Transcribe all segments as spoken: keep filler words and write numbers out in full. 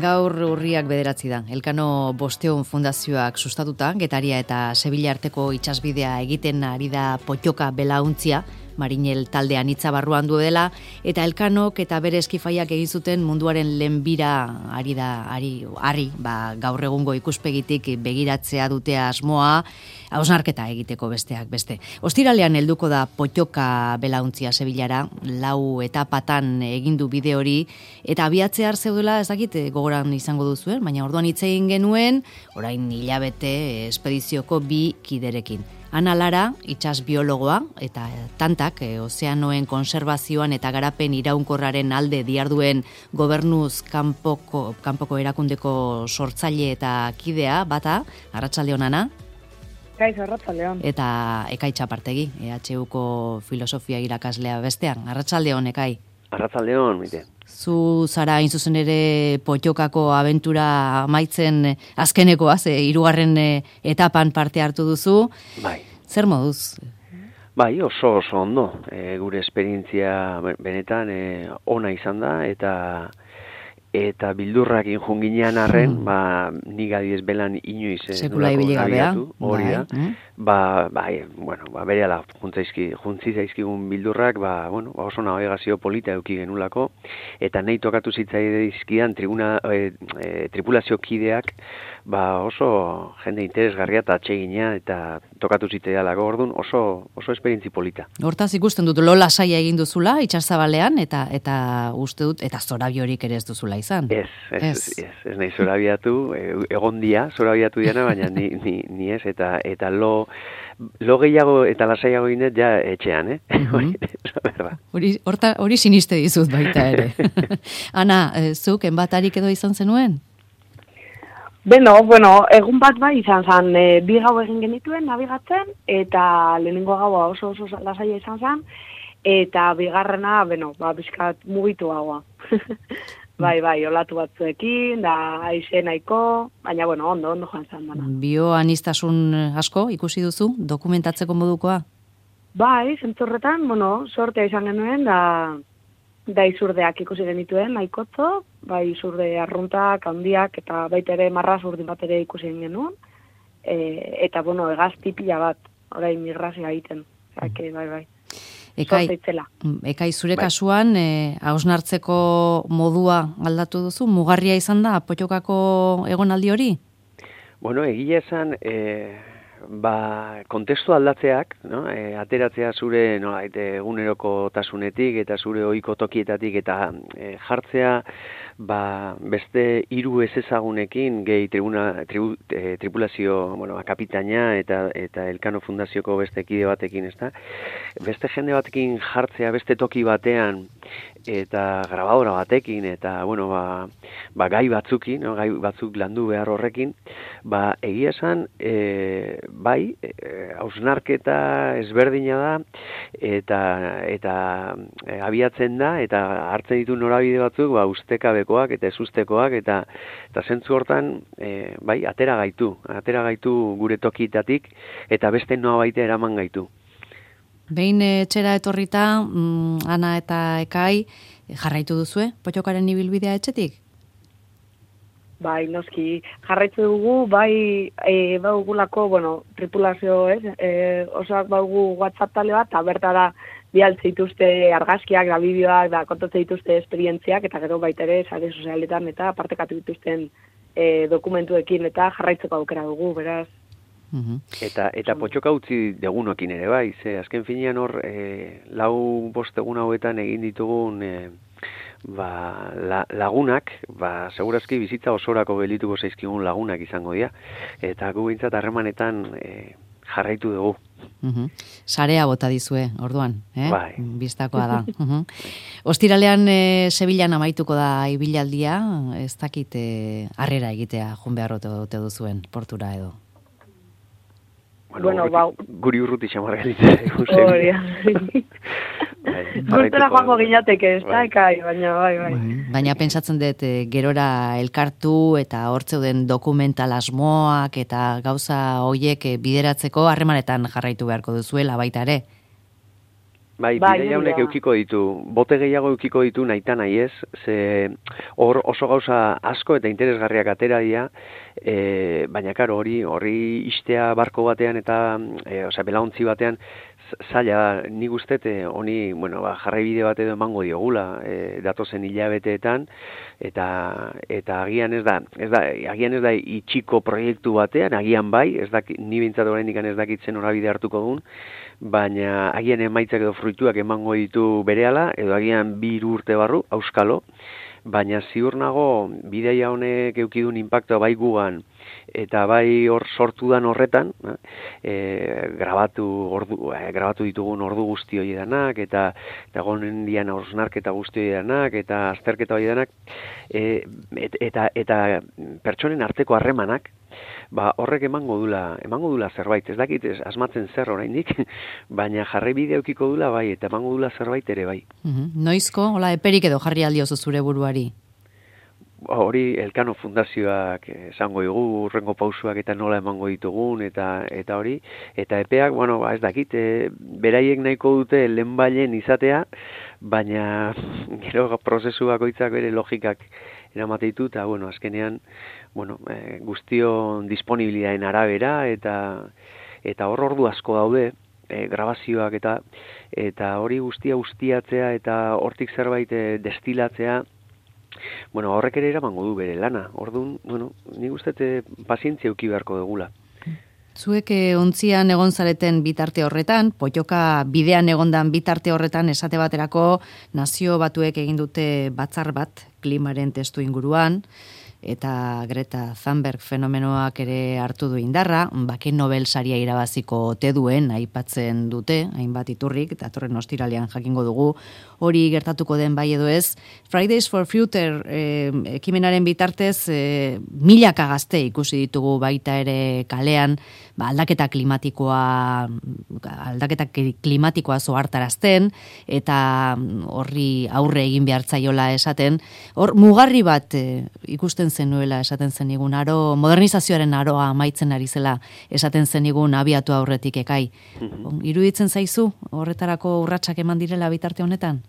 Gaur urriak bederatzi da. Elkano Bosteun Fundazioak sustatuta, Getaria eta Sevilla arteko itsasbidea egiten ari da Pottoka belauntzia, Marinel taldean hitza barruan duela, eta Elkanok eta bere eskifaiak egin zuten munduaren lehenbira ari da, ari, ari, ba, gaur egungo ikuspegitik begiratzea dute asmoa, hausnarketa egiteko besteak beste. Ostiralean helduko da Pottoka belauntzia Sevillara, lau etapatan egin du bide hori, eta abiatzear zeudela ez dakit gogoran izango duzuen, baina orduan hitz egin genuen, orain hilabete espedizioko bi kiderekin. Ana Lara, itsas biologoa, eta tantak, e, ozeanoen konserbazioan eta garapen iraunkorraren alde diarduen gobernuz kanpoko, kanpoko erakundeko sortzaile eta kidea, bata, Arratsaldeon Ana. Kaixo, Arratsaldeon. Eta Ekaitz Apartegi, E H Uko filosofia irakaslea bestean. Arratsaldeon, Ekai. Arratsaldeon, mite. Zu zara hain zuzen ere Pottokako abentura amaitzen azkenekoa, ze hirugarren etapan parte hartu duzu. Bai. Zer moduz? Bai, oso oso ondo. E, gure esperientzia benetan e, ona izan da, eta eta bildurrak injunginean arren, hmm. ba, nik adiez belan inoiz sekula ibili gabea, hori da. Mm. Ba, bai, bueno, ba, berehala juntzaizki, juntzi zaizkigun bildurrak, ba, bueno, ba, oso navegazio polita eduki genulako, eta nahi tokatu zitzaizkidan tribuna, e, e, tripulazio kideak, ba, oso jende interesgarria eta atsegina, eta tokatu zitzaidalako, orduan oso oso esperientzi polita. Hortaz ikusten dut, lo lasaia egin duzula, itsasabalean, eta eta uste dut, eta zorabiorik ere ez duzula izan. Ez, ez, ez, ez, ez nahi zorabiatu, egon dia, zorabiatu diana, baina ni, ni, ni ez, eta eta lo, lo gehiago eta lasaiago inet ja etxean, eh? Mm-hmm. Hori, horta, hori siniste dizut baita ere. Ana, zuk, enbatarik edo izan zenuen? Beno, bueno, egun bat bai izan zen, e, bi gau egin genituen nabigatzen, eta lehenengo gaua oso oso lasaia izan zen, eta bigarrena, beno, ba, bizkat mugitu gaua. Bai, bai, olatu batzuekin, da aize nahiko, baina, bueno, ondo, ondo joan zen dana. Bioanistasun asko ikusi duzu, dokumentatzeko modukoa? Bai, zentzorretan, bueno, sortea izan genuen, da, da izurdeak ikusi genituen, nahikotzo, bai izurde arruntak, handiak, eta baita ere marraz urdin bat ere ikusi genuen, e, eta, bueno, egazti pila bat, orain migrazioa egiten, zake, bai, bai. Ekai, ekai zure bai. Kasuan, e, hausnartzeko modua aldatu duzu? Mugarria izan da, Pottokako egonaldi hori? Bueno, egia esan, e, ba, kontestu aldatzeak, no? E, ateratzea zure no, eguneroko tasunetik eta zure ohiko tokietatik eta e, jartzea ba, beste hiru ezezagunekin gehi tribuna, tribu, e, tripulazio bueno, kapitaina eta eta Elkano Fundazioko beste kide batekin, ezta? Beste jende batekin jartzea beste toki batean eta grabadora batekin eta bueno, ba, ba gai batzukin, no? Gai batzuk landu behar horrekin, ba egia esan e, bai, hausnarketa e, ezberdina da eta eta e, abiatzen da eta hartzen ditu norabide batzuk, ba ustekabekoak eta ezustekoak eta eta zentzu hortan e, bai, atera gaitu, atera gaitu gure tokitatik eta beste noa baita eraman gaitu. Behin etxera etorrita, mm, Ana eta Ekai, jarraitu duzue, Pottokaren ibilbidea etxetik? Bai, noski, jarraitu dugu, bai, e, baugulako, bueno, tripulazio, ez, e, osoak baugu WhatsApp tale bat, eta bertara bialtze dituzte argazkiak, da bideoak, da kontatze dituzte esperientziak, eta gero baita ere, sare sozialetan, eta partekatu dituzten e, dokumentuekin, eta jarraitzeko aukera dugu, beraz. Uh-huh. Eta eta Pottoka utzi degunokin ere bai, ze azken finean hor e, lau bost egun hauetan egin ditugun e, ba, la, lagunak, ba segurazki bizitza osorako gelituko zaizkigun lagunak izango dira eta gu behintzat harremanetan e, jarraitu dugu. Uh-huh. Sarea bota dizue, orduan, eh? Bai. Biztakoa da. Uh-huh. Ostiralean e, Sevillan amaituko da ibilaldia, ez dakit e, harrera egitea joan behar ote duzuen portura edo. Bueno, bueno urruti, bau. Guri urruti xamarra gelitzen. Hori, gurtera joango gineateke, ez da, Ekai, baina bai, bai. Baina pentsatzen dut, e, gerora elkartu eta hortzeuden dokumental asmoak eta gauza hoiek e, bideratzeko harremanetan jarraitu beharko duzuela baita ere. Bai, bidai honek eukiko ditu, bote gehiago eukiko ditu nahita nahi ez, ze hor oso gauza asko eta interesgarriak atera dira, e, baina karo hori hori istea barko batean eta e, osea, belauntzi batean zaila, nik ustet, honi, bueno, ba, jarraibide bat edo emango diogula, e, datozen hilabeteetan, eta eta agian ez da, ez da, agian ez da itxiko proiektu batean, agian bai, ez dakit, ni bintzat oraindik ez dakitzen norabide hartuko duen, baina agian emaitzak edo fruituak emango ditu berehala, edo agian bi hiru urte barru, auskalo, baina ziur nago bidaia honek eukidun inpaktua bai gugan, eta bai hor sortu dan horretan, e, grabatu, ordu, e, grabatu ditugun ordu guzti hori danak, eta eta gonen dian hausnarketa guzti hori danak, eta azterketa hori danak, e, et, eta, eta pertsonen arteko harremanak, ba, horrek emango dula, emango dula zerbait, ez dakit, ez, asmatzen zer oraindik, baina jarraibide eukiko dula bai, eta emango dula zerbait ere bai. Mm-hmm. Noizko, hola, eperik edo jarri aldiozu zure buruari? Hori Elkano Fundazioak esango dugu, urrengo pausuak eta nola emango ditugun, eta eta hori, eta epeak, bueno, ba, ez dakit, e, beraiek nahiko dute lehenbailen izatea, baina gero prozesu bakoitzak bere logikak eramate ditu, eta, bueno, azkenean, bueno, e, guztion disponibilitateen arabera, eta eta hor ordu asko daude, e, grabazioak eta eta hori guztia ustiatzea, eta hortik zerbait e, destilatzea, bueno, horrek ere eramango du bere lana. Orduan, bueno, nik uste pazientzia eduki beharko dugula. Zuek ontzian egon zareten bitarte horretan, potioka bidean egondan bitarte horretan esate baterako Nazio Batuek egin dute batzar bat klimaren testu inguruan, eta Greta Thunberg fenomenoak ere hartu du indarra, bake Nobel saria irabaziko ote duen aipatzen dute, hainbat iturrik, eta torren ostiralean jakingo dugu, hori gertatuko den bai edo ez. Fridays for Future eh, ekimenaren bitartez, eh, milaka gazte ikusi ditugu baita ere kalean, ba, aldaketa klimatikoa aldaketa klimatikoa zohartarazten, eta horri aurre egin behartzaiola esaten, hor mugarri bat eh, ikusten zenuela esaten zenigun, aro, modernizazioaren aroa amaitzen ari zela esaten zenigun abiatu aurretik ekai. Mm-hmm. Iruditzen zaizu horretarako urratsak eman direla bitarte honetan?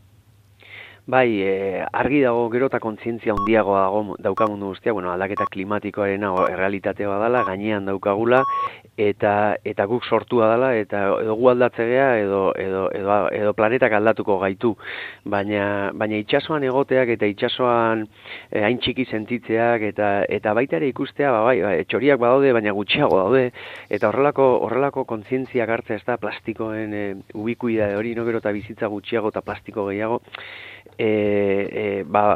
Bai, e, argi dago gero eta kontzientzia handiagoa dago daukagun guztia, bueno, aldaketa klimatikoarena errealitatea badala, gainean daukagula, eta eta guk sortua dela, eta edo gu aldatzea edo, edo, edo, edo planetak aldatuko gaitu. Baina, baina itsasoan egoteak eta itsasoan e, hain txiki sentitzeak, eta eta baita ere ikustea, ba, bai, bai, txoriak badaude, baina gutxiago daude, eta horrelako horrelako kontzientziak hartzea ez da plastikoen e, ubikuidade hori, no gero eta bizitza gutxiago eta plastiko gehiago, E, e, ba,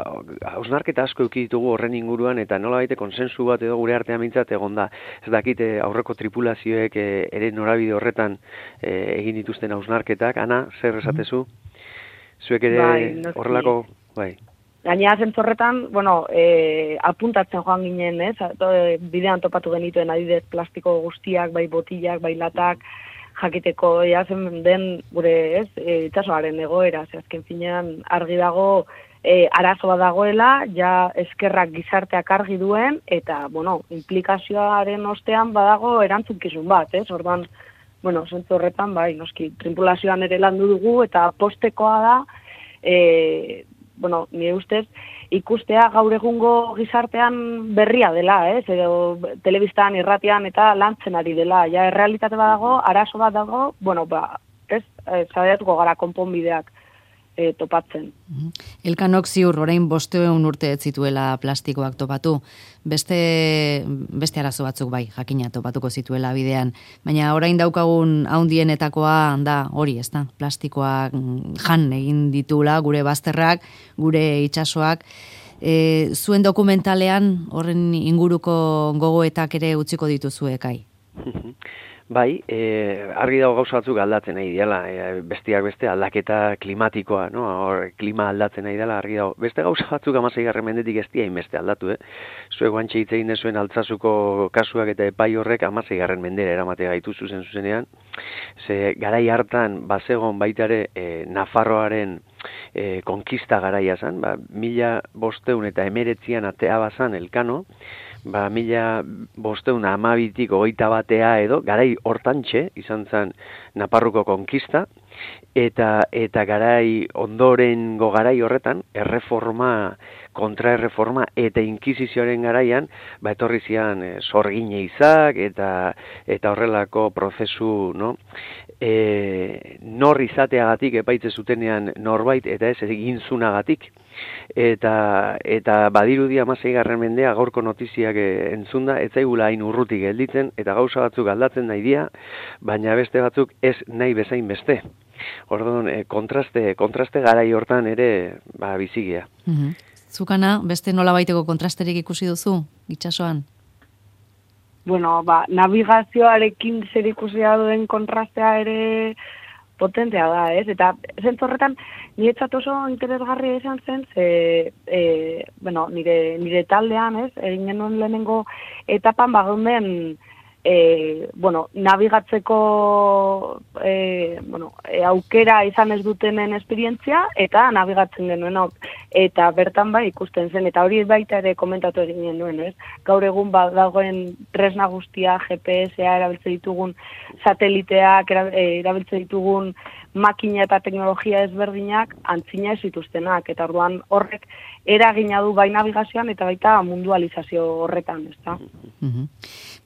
hausnarketa asko eduki ditugu horren inguruan, eta nola baite konsensu bat edo gure artean mintzat egon da. Ez dakite aurreko tripulazioek e, ere norabide horretan e, egin dituzten hausnarketak. Ana, zer esatezu? Zuek ere bai, horrelako, bai. Gainera zentzorretan, bueno, e, apuntatzen joan ginen, ez? Bidean topatu genituen adidez plastiko guztiak, bai botilak, bai latak, jakiteko jazen den gure, ez, e, itsasoaren egoera, ze azken finean argi dago e, arazo bat dagoela, ja eskerrak gizarteak argi duen, eta, bueno, implikazioaren ostean badago erantzukizun bat, ez, orduan, bueno, zentzu horretan, bai, noski, tripulazioan ere landu dugu, eta postekoa da, e, bueno, nire ustez, ikustea gaur egungo gizartean berria dela, ez? Edo telebistan, irratian eta lantzen ari dela. Ja, errealitate bat dago, arazo bat dago, bueno, ba, ez, zaiatuko gara konponbideak e, topatzen. Elkanok ziur, orain bosteun urte ez zituela plastikoak topatu. Beste, beste arazo batzuk bai, jakina topatuko zituela bidean. Baina orain daukagun haundienetakoa da hori, ez da? Plastikoak jan egin ditula gure bazterrak, gure itsasoak. E, zuen dokumentalean horren inguruko gogoetak ere utziko dituzu ekai? Bai, e, argi dago gauza batzuk aldatzen nahi dela, e, besteak beste aldaketa klimatikoa, no? Hor, klima aldatzen nahi dela, argi dago. Beste gauza batzuk hamaseigarren mendetik ez dira inbeste aldatu, eh? Zuek guantxe hitz egin dezuen Altsasuko kasuak eta epai horrek hamaseigarren mendera eramate gaitu zuzen zuzenean. Ze garai hartan bazegon baita ere e, Nafarroaren e, konkista garaia zen, ba, mila bosteun eta emeretzian atea bazan Elkano, ba, mila bosteun amabitik hogeita batea edo, garai hortantxe izan zen Naparruko konkista, eta eta garai ondorengo garai horretan erreforma, kontraerreforma eta inkisizioaren garaian ba etorri zian e, sorgine izak eta eta horrelako prozesu, no? E, nor izateagatik epaitze zutenean norbait eta ez eginzunagatik. Eta eta badirudi hamaseigarren mendea gaurko notiziak entzunda ez zaigula hain urrutik gelditzen eta gauza batzuk aldatzen nahi dira, baina beste batzuk ez nahi bezain beste. Orduan, e, kontraste, kontraste garai hortan ere ba, bizigia. Mm-hmm. Zukana, beste nola baiteko kontrasterik ikusi duzu, itsasoan? Bueno, ba, navigazioarekin zer ikusia duen kontrastea ere potentea da, ez? Eta zentzu horretan, niretzat oso interesgarria izan zen, ze, e, bueno, nire, nire taldean, ez? Egin genuen lehenengo etapan, bagunden, E, bueno, nabigatzeko e, bueno, e, aukera izan ez dutenen esperientzia eta nabigatzen genuenok. Eta bertan bai ikusten zen, eta hori baita ere komentatu egin genuen, ez? Gaur egun ba, dagoen tresna guztia, G P S-a erabiltzen ditugun, sateliteak erabiltzen ditugun, makina eta teknologia ezberdinak antzina ez zituztenak, eta orduan horrek eragina du bai navigazioan eta baita mundualizazio horretan, ezta? Mm-hmm.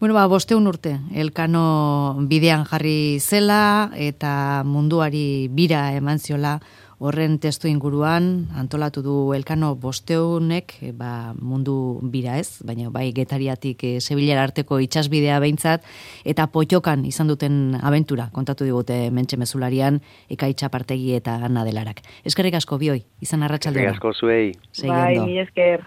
Bueno, ba, bosteun urte, Elkano bidean jarri zela eta munduari bira eman ziola horren testu inguruan antolatu du Elkano bosteunek ba, mundu bira ez, baina bai Getariatik e, Sevillara arteko itsasbidea behintzat eta Pottokan izan duten abentura kontatu digute Mentxe Mezularian Ekaitz Apartegi eta Ana Delarak. Eskerrik asko bioi, izan arratsaldean. Eskerrik asko zuei. Bai, mi esker.